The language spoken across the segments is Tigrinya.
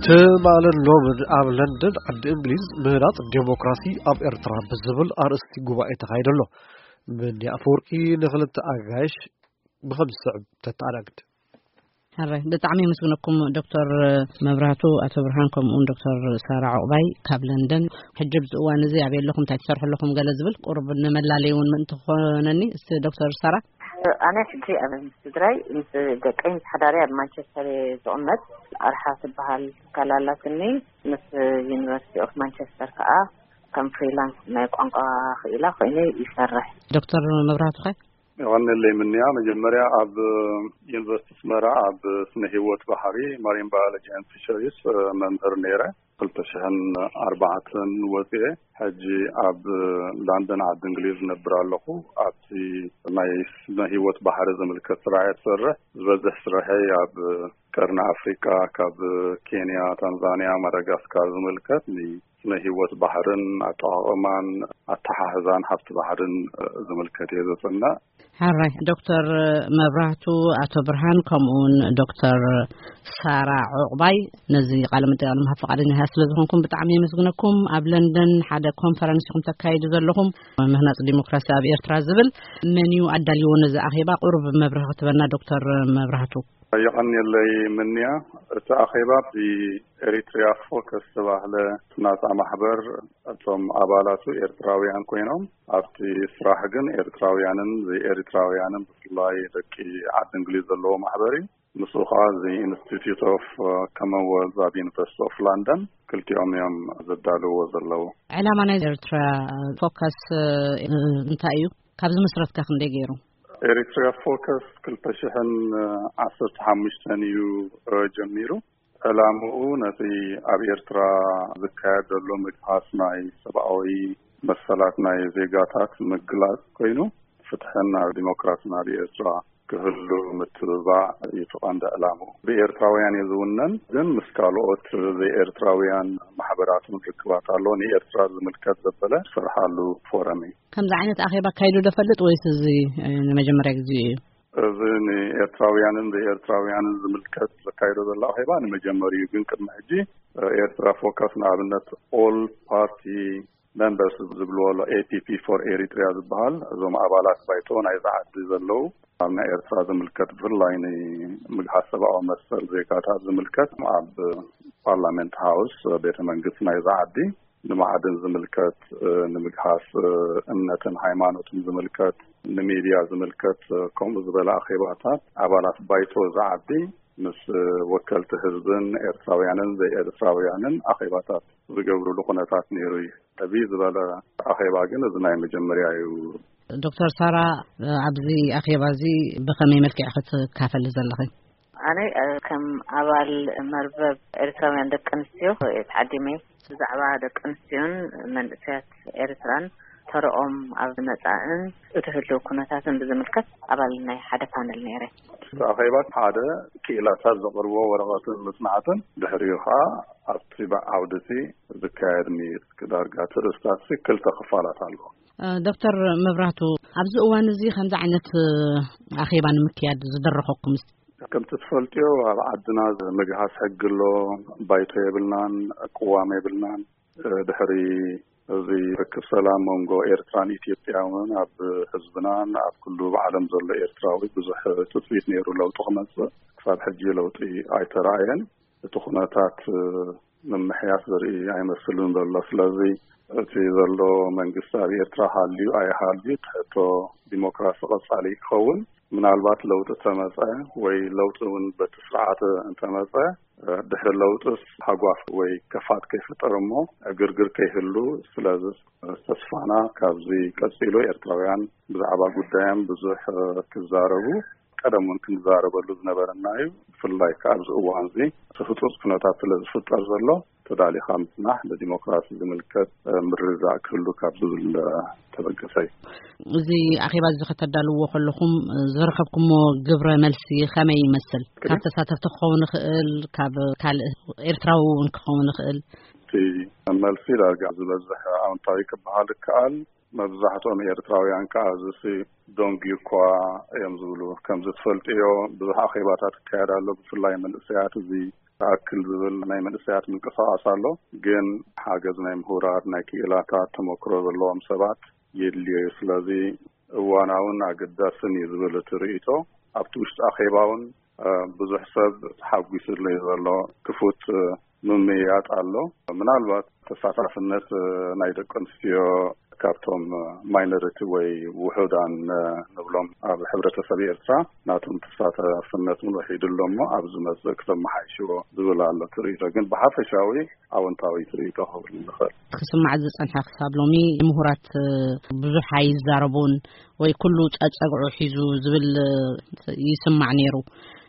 ትማልን ሎምን ኣብ ለንደን ዓዲ እንግሊዝ ምህናጽ ዴሞክራሲ ኣብ ኤርትራ ብዝብል ኣርእስቲ ጉባኤ ተኻይዱ ኣሎ። ምንያ ኣፈወርቂ ንኽልተ ኣጋይሽ ብኸም ዝስዕብ ተተኣናግድ። ሕራይ፣ ብጣዕሚ የመስግነኩም ዶክተር መብራህቱ፣ ኣቶ ብርሃን፣ ከምኡ እውን ዶክተር ሳራ ዑቕባይ ካብ ለንደን። ሕጂ ኣብዚ እዋን እዚ ኣበይ ኣለኹም? እንታይ ትሰርሑ ኣለኹም? ገለ ዝብል ቁሩብ ንመላለይ እውን ምእንቲ ክኾነኒ። እስቲ ዶክተር ሳራ። ኣነ ሕጂ ኣብ ስድራይ ምስ ደቀይ ምስ ሓዳሪ ኣብ ማንቸስተር እየ ዝቕመጥ። ኣርሓ ትበሃል ትካል ኣላትኒ። ምስ ዩኒቨርሲቲ ኦፍ ማንቸስተር ከዓ ከም ፍሪላንስ ናይ ቋንቋ ክኢላ ኮይነ ይሰርሕ። ዶክተር መብራህቱ ኸ? ይቐንለይ ምንያ፣ መጀመርያ ኣብ ዩኒቨርሲቲ ኣስመራ ኣብ ስነ ህይወት ባሕሪ፣ ማሪን ባዮሎጂ ኤንድ ፊሸሪስ፣ መምህር ነይረ። ክልተ ሽሕን ኣርባዕተን ወፅኤ፣ ሕጂ ኣብ ላንደን ዓዲ እንግሊዝ ነብር ኣለኹ። ኣብቲ ናይ ስነ ህይወት ባሕሪ ዝምልከት ስራሕ እየ ዝሰርሕ። ዝበዝሕ ስራሐይ ኣብ ቀርኒ ኣፍሪቃ፣ ካብ ኬንያ፣ ታንዛንያ፣ ማዳጋስካር ዝምልከት ንስነ ህይወት ባሕርን ኣጠቓቕማን ኣተሓሕዛን ሃፍቲ ባሕርን ዝምልከት እየ ዘፅንዕ። ሕራይ፣ ዶክተር መብራህቱ፣ ኣቶ ብርሃን፣ ከምኡውን ዶክተር ሳራ ዑቕባይ፣ ነዚ ቃለ መጠይቕ ንምሃብ ፈቓደኛታት ስለ ዝኾንኩም ብጣዕሚ የመስግነኩም። ኣብ ለንደን ሓደ ኮንፈረንስ ኢኹም ተካይዱ ዘለኹም፣ ምህናጽ ዲሞክራሲ ኣብ ኤርትራ ዝብል። መን እዩ ኣዳልይዎ ነዚ ኣኼባ? ቁሩብ መብርሂ ክትበና ዶክተር መብራህቱ። የቐንየለይ ምንያ። እቲ ኣኼባ ብኤሪትሪያ ፎከስ ዝተባህለ ናጻ ማሕበር፣ እቶም ኣባላቱ ኤርትራውያን ኮይኖም፣ ኣብቲ ስራሕ ግን ኤርትራውያንን ዘይኤርትራውያንን፣ ብፍላይ ደቂ ዓዲ እንግሊዝ ዘለዎ ማሕበር እዩ። ምስኡ ከዓ እዚ ኢንስቲትዩት ኦፍ ኮመንወልዝ ኣብ ዩኒቨርሲቲ ኦፍ ላንደን፣ ክልቲኦም እዮም ዘዳልዎ ዘለዉ። ዕላማ ናይ ኤርትራ ፎከስ እንታይ እዩ? ካብ ዝምስረትካ ክንደይ ገይሩ? ኤሪትሪያ ፎከስ ክልተ ሽሕን ዓሰርተ ሓሙሽተን እዩ ጀሚሩ። ዕላምኡ ነቲ ኣብ ኤርትራ ዝካየድ ዘሎ ምግሃስ ናይ ሰብኣዊ መሰላት ናይ ዜጋታት ምግላጽ ኮይኑ፣ ፍትሕን ኣብ ዲሞክራስን ኣብ ኤርትራ ክህሉ ምትብባዕ እዩ እቲ ቀንዲ ዕላምኡ። ብኤርትራውያን እዩ ዝውነን፣ ግን ምስ ካልኦት ዘይኤርትራውያን ማሕበራት እውን ርክባት ኣሎ። ንኤርትራ ዝምልከት ዘበለ ዝሰርሓሉ ፎረም እዩ። ከምዚ ዓይነት ኣኼባ ኣካይዱ ዶ ፈልጥ ወይስ እዚ፣ እ፣ ንመጀመርያ ግዜ እዩ? እዚ ንኤርትራውያንን ዘይኤርትራውያንን ዝምልከት ዘካይዶ ዘሎ ኣኼባ ንመጀመሪኡ፣ ግን ቅድሚ ሕጂ፣ እ፣ ኤርትራ ፎከስ ንኣብነት ኦል ፓርቲ ሜምበርስ ዝብልዎ ኣሎ፣ ኤ ፒ ፒ ፎር ኤሪትሪያ ዝበሃል፣ እዞም ኣባላት ባይቶ ናይዛ ዓዲ ዘለዉ ኣብ ናይ ኤርትራ ዝምልከት፣ ብፍላይ ንምግሃስ ሰብኣዊ መሰል ዜጋታት ዝምልከት ኣብ ፓርላመንት ሃውስ፣ ቤተ መንግስቲ ናይዛ ዓዲ፣ ንማዕድን ዝምልከት፣ እ፣ ንምግሃስ፣ እ፣ እምነትን ሃይማኖትን ዝምልከት፣ ንሚድያ ዝምልከት፣ እ፣ ከምኡ ዝበለ ኣኼባታት ኣባላት ባይቶ ዝዓቢ ምስ፣ እ፣ ወከልቲ ህዝብን ኤርትራውያንን ዘይኤርትራውያንን ኣኼባታት ዝገብሩሉ ኩነታት ነይሩ እዩ። ዕብይ ዝበለ ኣኼባ ግን እዚ ናይ መጀመርያ እዩ። ዶክተር ሳራ፣ እ፣ ኣብዚ ኣኼባ እዚ ብኸመይ መልክዕ ክትካፈሊ ዘለኺ? ኣነ፣ እ፣ ከም ኣባል መርበብ ኤርትራውያን ደቂ ኣንስትዮ ተዓዲመ። ብዛዕባ ደቂ ኣንስትዮን መንእሰያት ኤርትራን ተረኦም ኣብ መጻእን እቲ ህልው ኩነታትን ብዝምልከት ኣባል ናይ ሓደ ፓነል ነይረ። እቲ ኣኼባ ሓደ ክኢላታት ዘቕርብዎ ወረቐትን መጽናዕትን፣ ድሕሪኡ ኸኣ ኣብቲ ዓውዲ እቲ ዝካየድ ምይይጥ፣ ዳርጋ እቲ ርእስታት ክልተ ክፋላት ኣለዎ። እ፣ ዶክተር መብራህቱ፣ ኣብዚ እዋን እዚ ከምዚ ዓይነት፣ እ፣ ኣኼባ ንምክያድ ዝደረኸኩም? ከምቲ ትፈልጥዮ፣ ኣብ ዓድና ምግሃስ ሕጊ ኣሎ፣ ባይቶ የብልናን፣ ቅዋም የብልናን። እ፣ ድሕሪ እዚ ርክብ ሰላም መንጎ ኤርትራን ኢትዮጵያ እውን ኣብ ህዝብናን ኣብ ኩሉ ብዓለም ዘሎ ኤርትራዊ ብዙሕ ትጽቢት ነይሩ ለውጢ ክመጽእ። ክሳብ ሕጂ ለውጢ ኣይተራእየን። እቲ ኩነታት፣ እ፣ ምምሕያሽ ዘርኢ ኣይመስልን ዘሎ። ስለዚ እቲ ዘሎ መንግስቲ ኣብ ኤርትራ ሃልዩ ኣይሃልዩ፣ እቲ ሕቶ ዲሞክራሲ ቀጻሊ ክኸውን፣ ምናልባት ለውጢ ተመጸ ወይ ለውጢ እውን በቲ ስርዓት እንተመጸ፣ እ፣ ድሕሪ ለውጥስ ሃጓፍ ወይ ከፋት ከይፍጠር እሞ ዕግርግር ከይህሉ፣ ስለዚ ተስፋና ካብዚ ቀጺሉ ኤርትራውያን ብዛዕባ ጉዳዮም ብዙሕ፣ እ፣ ክዛረቡ፣ ቀደም እውን ክንዛረበሉ ዝነበረና እዩ። ብፍላይ ከኣ ኣብዚ እዋን እዚ እቲ ህጹጽ ኩነታት ስለ ዝፍጠር ዘሎ፣ ተዳሊኻ ምጽናሕ ንዲሞክራሲ ዝምልከት፣ እ፣ ምርድዳእ ክህሉ ካብ ዝብል፣ እ፣ ተበገሰ እዩ። እዚ ኣኼባ እዚ ከተዳልዎ ከለኹም፣ እ፣ ዝረኸብኩሞ ግብረ መልሲ ከመይ ይመስል? ካብ ተሳተፍቲ ክኸውን ይኽእል፣ ካብ ካልእ ኤርትራዊ እውን ክኸውን ይኽእል። እቲ መልሲ ዳርጋ ዝበዝሕ ኣወንታዊ ክበሃል ይከኣል። መብዛሕትኦም ኤርትራውያን ከኣ እዚሲ ደንጉዩ እኳ እዮም ዝብሉ። ከምዚ ትፈልጥዮ፣ ብዙሕ ኣኼባታት ይካየድ ኣሎ። ብፍላይ መንእሰያት እዚ ኣክል ዝብል ናይ መንእሰያት ምንቅስቃስ ኣሎ። ግን ሓገዝ ናይ ምሁራት፣ ናይ ክኢላታት ተመክሮ ዘለዎም ሰባት የድልዮ እዩ። ስለዚ እዋናውን ኣገዳስን እዩ ዝብል እቲ ርእይቶ ኣብቲ ውሽጢ ኣኼባ እውን ብዙሕ ሰብ ተሓጒስሉ እዩ ዘሎ። ክፉት ምምይያጥ ኣሎ። ምናልባት ተሳታፍነት ናይ ደቂ ኣንስትዮ ካብቶም ማይኖሪቲ ወይ ውሑዳን ንብሎም ኣብ ሕብረተሰብ ኤርትራ ናቶም ተሳታፍነት እውን ውሒዱ ኣሎ እሞ ኣብ ዝመጽእ ክተመሓይሽዎ ዝብል ኣሎ ትርኢቶ። ግን ብሓፈሻዊ ኣወንታዊ ትርኢቶ ክብል ንኽእል። ክስማዕ ዝጸንሐ ክሳብ ሎሚ ምሁራት ብዙሕ ኣይዛረቡን ወይ ኩሉ ጸጸግዑ ሒዙ ዝብል ይስማዕ ነይሩ።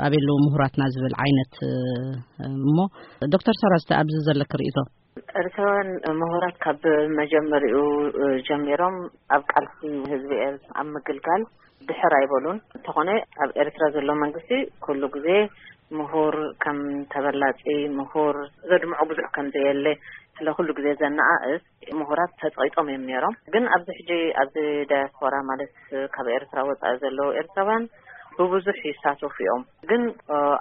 ኣበይ ኣለዉ ምሁራትና ዝብል ዓይነት እሞ ዶክተር ሰራዝቲ ኣብዚ ዘለክ ርእይቶ? ኤርትራውያን ምሁራት ካብ መጀመሪኡ ጀሚሮም ኣብ ቃልሲ ህዝቢ ኤርትራ ኣብ ምግልጋል ድሕር ኣይበሉን። እንተኾነ ኣብ ኤርትራ ዘሎ መንግስቲ ኩሉ ግዜ ምሁር ከም ተበላጺ፣ ምሁር ዘድምዖ ብዙሕ ከም ዘየለ ስለ ኩሉ ግዜ ዘነኣእስ ምሁራት ተጸቂጦም እዮም ነይሮም። ግን ኣብዚ ሕጂ ኣብዚ ዳያስፖራ ማለት ካብ ኤርትራ ወጻኢ ዘለዉ ኤርትራውያን ብብዙሕ ይሳተፉ እዮም። ግን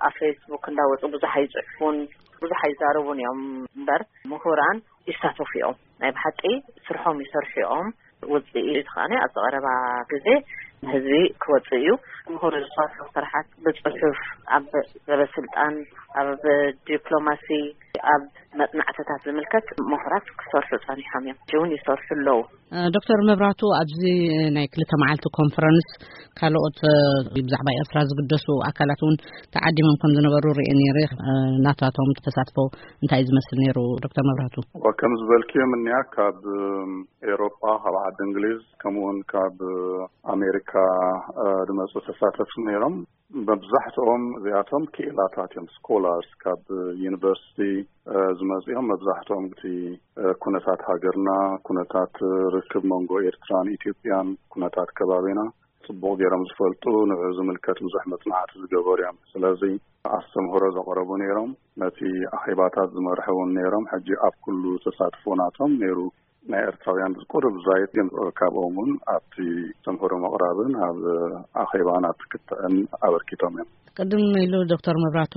ኣብ ፌስቡክ እንዳወጹ ብዙሕ ኣይጽሕፉን፣ ብዙሕ ኣይዛረቡን እዮም እምበር ምሁራን ይሳተፉ እዮም። ናይ ብሓቂ ስርሖም ይሰርሑ እዮም። ውጽኢት ከኣ ኣብዚ ቀረባ ግዜ ንህዝቢ ክወጽእ እዩ። ምሁር ዝሰርሑ ስራሓት ብጽሑፍ ኣብ ሰበስልጣን፣ ኣብ ዲፕሎማሲ፣ ኣብ መጽናዕትታት ዝምልከት ምሁራት ክሰርሑ ጸኒሖም እዮም። እውን ይሰርሑ ኣለዉ። ዶክተር መብራቱ፣ ኣብዚ ናይ ክልተ መዓልቲ ኮንፈረንስ ካልኦት ብዛዕባ ኤርትራ ዝግደሱ ኣካላት እውን ተዓዲሞም ከም ዝነበሩ ርእየ ነይረ። ናታቶም ተሳትፎ እንታይ ዝመስል ነይሩ ዶክተር መብራቱ? ወከም ዝበልክዮም እኒያ ካብ ኤሮጳ፣ ካብ ዓዲ እንግሊዝ፣ ከምኡውን ካብ ኣሜሪካ ዝመፁ ተሳተፍቲ ነይሮም። መብዛሕትኦም እዚኣቶም ክኢላታት እዮም፣ ስኮላርስ ካብ ዩኒቨርሲቲ ዝመፅኦም። መብዛሕትኦም እቲ ኩነታት ሃገርና፣ ኩነታት ርክብ መንጎ ኤርትራን ኢትዮጵያን፣ ኩነታት ከባቢና ፅቡቕ ገይሮም ዝፈልጡ፣ ንዑ ዝምልከት ብዙሕ መፅናዕቲ ዝገበሩ እዮም። ስለዚ ኣስተምህሮ ዘቕረቡ ነይሮም፣ ነቲ ኣኼባታት ዝመርሑ እውን ነይሮም። ሕጂ ኣብ ኩሉ ተሳትፎ ናቶም ነይሩ። ናይ ኤርትራውያን ቁሩብ ዛይድ ግን ካብኦም እውን ኣብቲ ኣስተምህሮ ምቕራብን ኣብ ኣኼባን ኣብቲ ክትዕን ኣበርኪቶም እዮም። ቅድም ኢሉ ዶክተር መብራቱ፣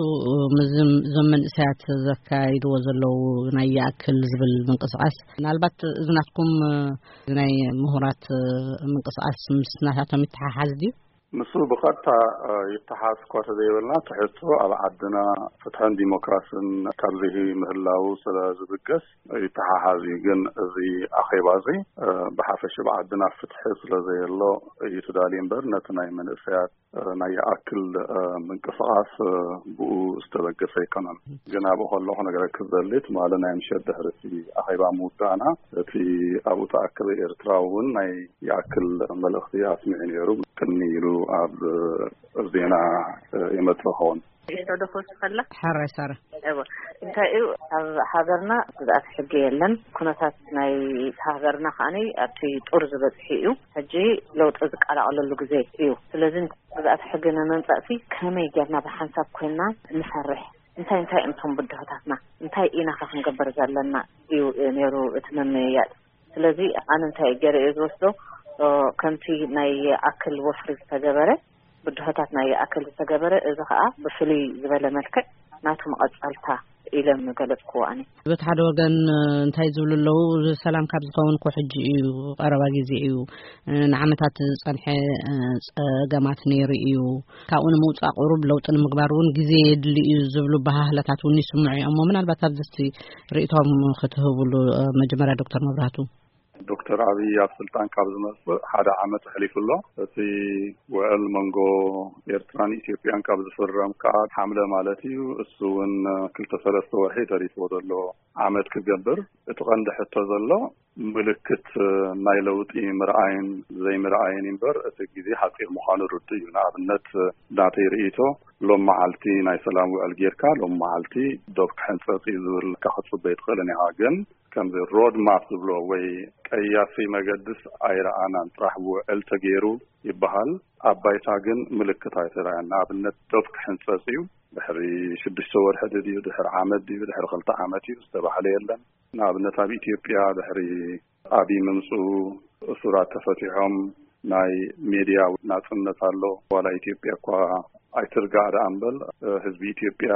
እዞም መንእሰያት ዘካይድዎ ዘለዉ ናይ ይኣክል ዝብል ምንቅስቃስ፣ ምናልባት እዚ ናትኩም ናይ ምሁራት ምንቅስቃስ ምስ ናታቶም ይተሓሓዝ ድዩ? ንሱ ብቐጥታ ይተሓዝ እኳ ተዘይበልና፣ ትሕዝቶ ኣብ ዓድና ፍትሕን ዲሞክራስን ካብዚሂ ምህላው ስለ ዝብገስ ይተሓሓዝ እዩ። ግን እዚ ኣኼባ እዚ ብሓፈሽ ኣብ ዓድና ፍትሒ ስለ ዘየሎ እዩ ተዳልዩ እምበር፣ ነቲ ናይ መንእሰያት ናይ ይኣክል ምንቅስቃስ ብኡ ዝተበገሰ ኣይኮነን። ግን ኣብኡ ከለኹ ነገረክ ዝደሊ፣ ትማሊ ናይ ምሸት ድሕሪ እቲ ኣኼባ ምውዳእና፣ እቲ ኣብኡ ተኣከበ ኤርትራዊ እውን ናይ ይኣክል መልእኽቲ ኣስሚዑ ነይሩ። ቅድሚ ኢሉ ኣብ ዜና ይመጽእ ኸውን። ይሕቶ ዶ ክወስድ ከላ? ሕራይ ሳራ። እወ፣ እንታይ እዩ፣ ኣብ ሃገርና ግዝኣት ሕጊ የለን። ኩነታት ናይ ሃገርና ከኣኒ ኣብቲ ጡር ዝበጽሕ እዩ። ሕጂ ለውጢ ዝቀላቐለሉ ግዜ እዩ። ስለዚ ግዝኣት ሕጊ ንምምጻእሲ ከመይ ጌርና ብሓንሳብ ኮይንና ንሰርሕ? እንታይ እንታይ እዮም እቶም ብድሆታትና? እንታይ ኢና ከ ክንገብር ዘለና? እዩ ነይሩ እቲ ምምይያጥ። ስለዚ ኣነ እንታይ ገይረ እየ ዝወስዶ፣ እ፣ ከምቲ ናይ ኣክል ወፍሪ ዝተገበረ፣ ብድሆታት ናይ ኣክል ዝተገበረ፣ እዚ ኸኣ ብፍልይ ዝበለ መልክዕ ናቱ መቐጸልታ ኢለ ምገለጽክዎ ኣነ። በቲ ሓደ ወገን፣ እ፣ እንታይ ዝብሉ ኣለዉ፣ ሰላም ካብ ዝኸውን እኮ ሕጂ እዩ፣ ቀረባ ግዜ እዩ፣ እ፣ ንዓመታት ዝጸንሐ፣ እ፣ ጸገማት ነይሩ እዩ፣ ካብኡ ንምውጻእ ቁሩብ ለውጢ ንምግባር እውን ግዜ የድሊ እዩ ዝብሉ በሃህለታት እውን ይስምዑ እዮም። እሞ ምናልባት ኣብዚ እስቲ ርእይቶም ክትህብሉ፣ እ፣ መጀመርያ ዶክተር መብራህቱ። ዶክተር ኣብይ ኣብ ስልጣን ካብ ዝመጽእ ሓደ ዓመት ኣሕሊፉ ኣሎ። እቲ ውዕል መንጎ ኤርትራን ኢትዮጵያን ካብ ዝፍረም ከኣ ሓምለ ማለት እዩ። እሱ እውን ክልተ ሰለስተ ወርሒ ተሪፍዎ ዘሎ ዓመት ክገብር። እቲ ቀንዲ ሕቶ ዘሎ ምልክት ናይ ለውጢ ምርኣይን ዘይምርኣይን እምበር እቲ ግዜ ሓጺር ምዃኑ ርዱእ እዩ። ንኣብነት ናተይ ርእይቶ ሎም መዓልቲ ናይ ሰላም ውዕል ጌርካ ሎም መዓልቲ ዶብ ክሕንጸጽ እዩ ዝብል ክትጽበ ኣይትኽእልን ኢኻ። ግን ከምዚ ሮድ ማፕ ዝብሎ ወይ ቀያሲ መገድስ ኣይረኣናን። ጥራሕ ውዕል ተገይሩ ይበሃል። ኣብ ባይታ ግን ምልክት ኣይተረኣየን። ንኣብነት ዶብ ክሕንጸጽ እዩ፣ ድሕሪ ሽዱሽተ ወርሒ ድዩ፣ ድሕሪ ዓመት ድዩ፣ ድሕሪ ክልተ ዓመት እዩ ዝተባህለ የለን። ንኣብነት ኣብ ኢትዮጵያ ድሕሪ ኣብይ ምምፅኡ እሱራት ተፈቲሖም፣ ናይ ሜድያ ናጽነት ኣሎ። ዋላ ኢትዮጵያ እኳ ኣይትርጋእ ደኣ እምበል፣ ህዝቢ ኢትዮጵያ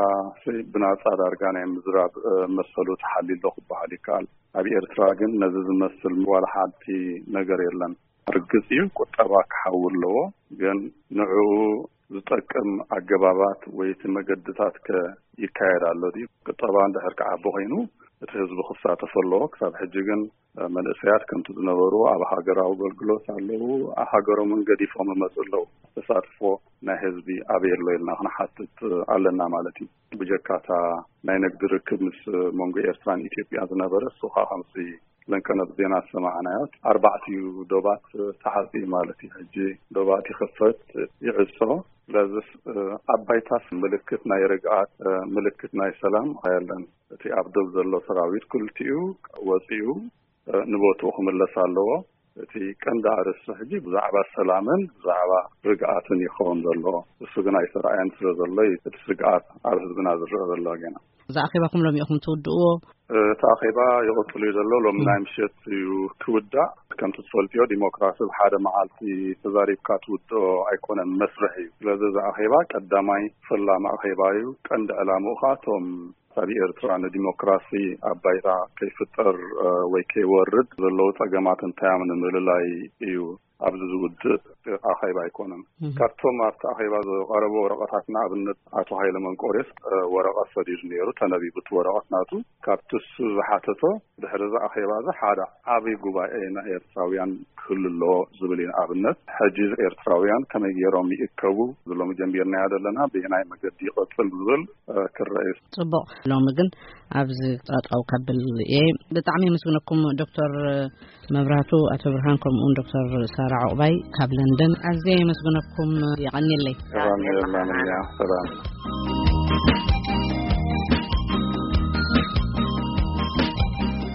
ብናጻ ዳርጋ ናይ ምዝራብ መሰሉ ተሓልዩ ኣሎ ክበሃል ይከኣል። ኣብ ኤርትራ ግን ነዚ ዝመስል ዋላ ሓንቲ ነገር የለን። ርግጽ እዩ፣ ቁጠባ ክሓዊ ኣለዎ፣ ግን ንዕኡ ዝጠቅም ኣገባባት ወይ እቲ መገድታት ከ ይካየድ ኣሎ ድዩ? ቁጠባ እንድሕር ክዓቢ ኮይኑ እቲ ህዝቢ ክሳተፍ ኣለዎ። ክሳብ ሕጂ ግን መንእሰያት ከምቲ ዝነበሩ ኣብ ሃገራዊ ኣገልግሎት ኣለዉ፣ ሃገሮምን ገዲፎም ይመጹ ኣለዉ። ተሳትፎ ናይ ህዝቢ ኣበይ ኣሎ ኢልና ክንሓትት ኣለና ማለት እዩ። ብጀካታ ናይ ንግዲ ርክብ ምስ መንጎ ኤርትራን ኢትዮጵያ ዝነበረ፣ እሱ ኸኣ ከምዚ ለንቀነብ ዜና ዝሰማዕናዮ፣ ኣርባዕቲኡ ዶባት ተሓጽዩ ማለት እዩ። ሕጂ ዶባት ይኸፈት ይዕጾ። ስለዚስ ኣብ ባይታስ ምልክት ናይ ርግኣት፣ ምልክት ናይ ሰላም ኣየለን። እቲ ኣብ ዶብ ዘሎ ሰራዊት ክልቲኡ ወጺኡ ንቦትኡ ክምለስ ኣለዎ። እቲ ቀንዲ ኣርእስቲ ሕጂ ብዛዕባ ሰላምን ብዛዕባ ርግኣትን ይኸውን ዘለዎ። እሱ ግን ኣይተረኣየን ስለ ዘሎ እዩ እቲ ስግኣት ኣብ ህዝብና ዝረአ ዘሎ ገና። እዛ ኣኼባኹም ሎሚ ኢኹም ትውድእዎ? እቲ ኣኼባ ይቕጽል እዩ ዘሎ። ሎሚ ናይ ምሸት እዩ ክውዳእ። ከምቲ ትፈልጥዮ፣ ዲሞክራሲ ብሓደ መዓልቲ ተዛሪብካ ትውድኦ ኣይኮነን፣ መስርሕ እዩ። ስለዚ እዚ ኣኼባ ቀዳማይ ፈላሚ ኣኼባ እዩ። ቀንዲ ዕላምኡ ኸኣ እቶም ኣብ ኤርትራ ንዲሞክራሲ ኣብ ባይታ ከይፍጠር ወይ ከይወርድ ዘለዉ ጸገማት እንታይ እዮም ንምልላይ እዩ ኣብዚ ዝውድእ ኣኼባ ኣይኮነን። ካብቶም ኣብቲ ኣኼባ ዝቐረቡ ወረቐታት ንኣብነት ኣቶ ሃይለ መንቆርዮስ ወረቐት ሰዲዱ ነይሩ፣ ተነቢቡ እቲ ወረቐት ናቱ። ካብቲ እሱ ዝሓተቶ ድሕሪ እዚ ኣኼባ እዚ ሓደ ዓቢ ጉባኤ ናይ ኤርትራውያን ክህሉ ኣለዎ ዝብል እዩ። ንኣብነት ሕጂ ኤርትራውያን ከመይ ገይሮም ይእከቡ ዝሎም ጀሚርናዮ ዘለና፣ ብየናይ መገዲ ይቐጽል ዝብል ክረአ እዩ። ጽቡቕ። ሎሚ ግን ኣብዚ ጣጣው ከብል እየ። ብጣዕሚ የመስግነኩም ዶክተር መብራቱ፣ ኣቶ ብርሃን፣ ከምኡውን ዶክተር ሳራ ዑቕባይ ካብ ለንደን ኣዝየ የመስግነኩም። የቐንየለይ። ሰላም።